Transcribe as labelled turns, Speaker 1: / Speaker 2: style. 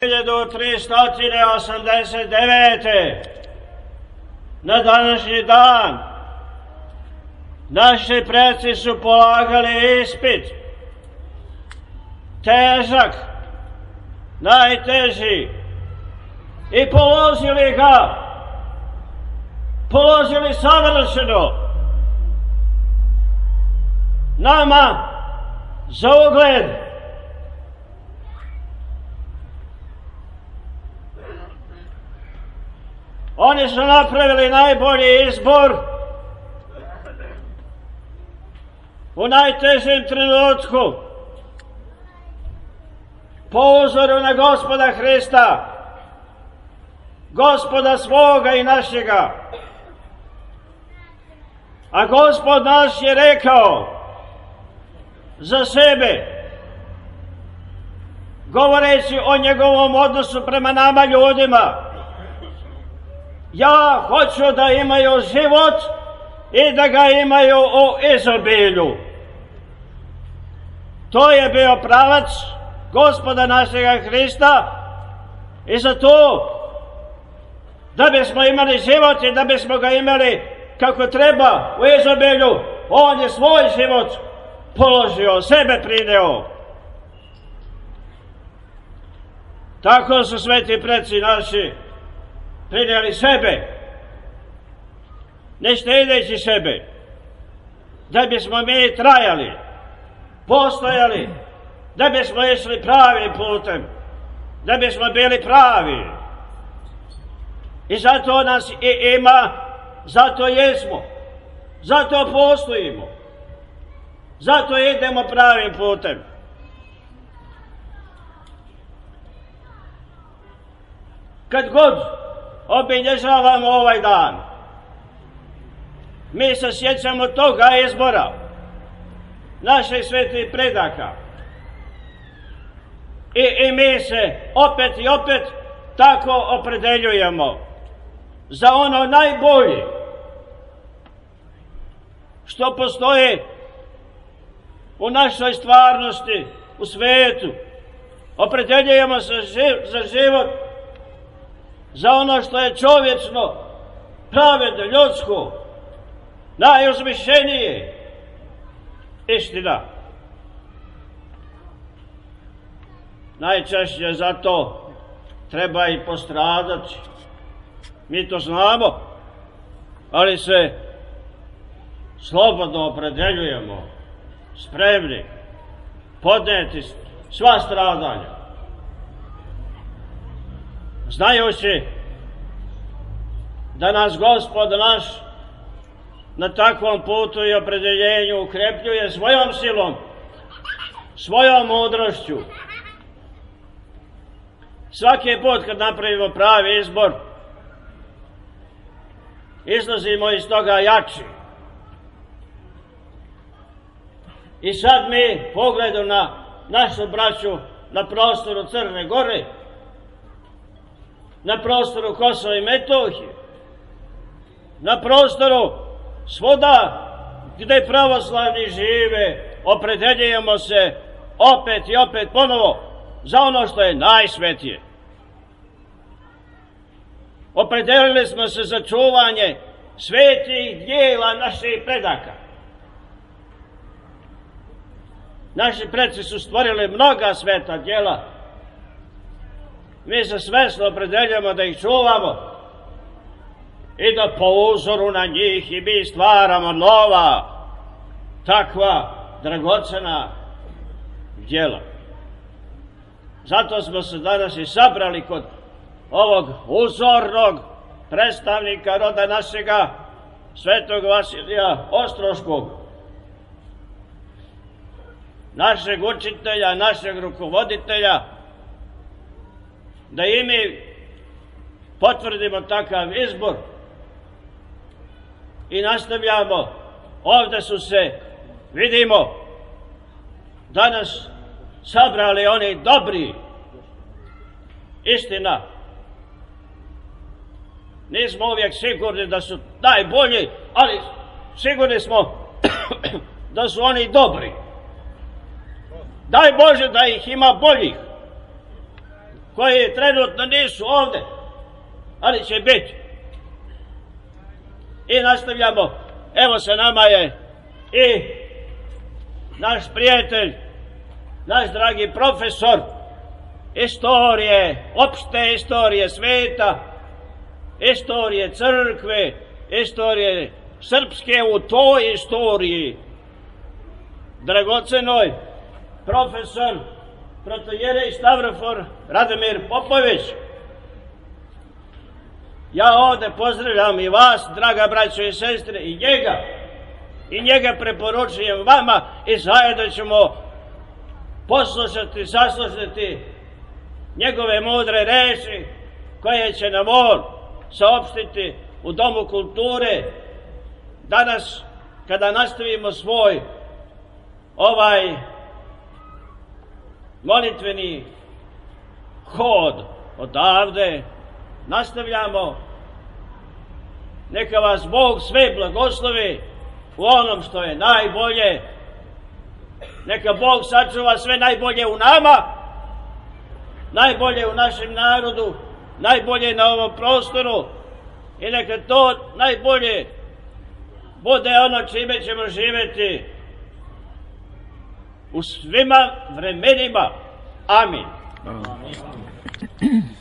Speaker 1: 1389. na današnji dan naši preci su polagali ispit, težak, najteži, i položili ga, položili savršeno, nama za ugled. Oni su napravili najbolji izbor u najtežem trenutku, po uzoru na Gospoda Hrista, Gospoda svoga i našega. A Gospod naš je rekao za sebe, govoreći o njegovom odnosu prema nama ljudima: ja hoću da imaju život i da ga imaju u izobilju. To je bio pravac Gospoda našega Hrista, i za to, da bismo imali život i da bismo ga imali kako treba u izobilju, on je svoj život položio, sebe prineo. Tako su sveti preci naši prinijeli sebe, ne štedeći sebe, da bismo mi trajali, postojali, da bismo išli pravim putem, da bismo bili pravi. I zato nas i ima, zato jesmo, zato postojimo, zato idemo pravim putem. Kad god obilježavamo ovaj dan, mi se sjećamo toga izbora naših svetih predaka, i mi se opet i opet tako opredeljujemo za ono najbolje što postoji u našoj stvarnosti, u svetu. Opredeljujemo se za život, za ono što je čovječno, pravedno, ljudsko, najuzvišenije, istina. Najčešće za to treba i postradati. Mi to znamo, ali se slobodno opredeljujemo, spremni podnijeti sva stradanja, znajući da nas Gospod naš na takvom putu i opredeljenju ukrepljuje svojom silom, svojom mudrošću. Svaki put kad napravimo pravi izbor, izlazimo iz toga jači. I sad mi, pogledom na našu braću na prostoru Crne Gore, na prostoru Kosova i Metohije, na prostoru svuda gde pravoslavni žive, opredeljujemo se opet i opet ponovo za ono što je najsvetije. Opredelili smo se za čuvanje svetih dijela naših predaka. Naši preci su stvorili mnoga sveta djela. Mi se svesno opredeljujemo da ih čuvamo i da po uzoru na njih i mi stvaramo nova, takva dragocena djela. Zato smo se danas i sabrali kod ovog uzornog predstavnika roda našega, svetog Vasilija Ostroškog, našeg učitelja, našeg rukovoditelja, da i mi potvrdimo takav izbor i nastavljamo. Ovde su se, vidimo, danas sabrali oni dobri, istina. Nismo uvijek sigurni da su najbolji, ali sigurni smo da su oni dobri. Daj Bože da ih ima boljih, koji trenutno nisu ovde, ali će biti. I nastavljamo. Evo sa nama je i naš prijatelj, naš dragi profesor istorije, opšte istorije sveta, istorije crkve, istorije srpske u toj istoriji. Dragocenoj profesor protojerej Stavrofor Radomir Popović. Ja ovde pozdravljam i vas, draga braćo i sestre, i njega preporučujem vama i zajedno ćemo poslušati, saslušati njegove mudre reči koje će nam on saopštiti u Domu kulture danas kada nastavimo svoj molitveni hod odavde. Nastavljamo. Neka vas Bog sve blagoslovi u onom što je najbolje. Neka Bog sačuva sve najbolje u nama, najbolje u našem narodu, najbolje na ovom prostoru i neka to najbolje bude ono čime ćemo živjeti u svima vremenima. Amin.
Speaker 2: Amin.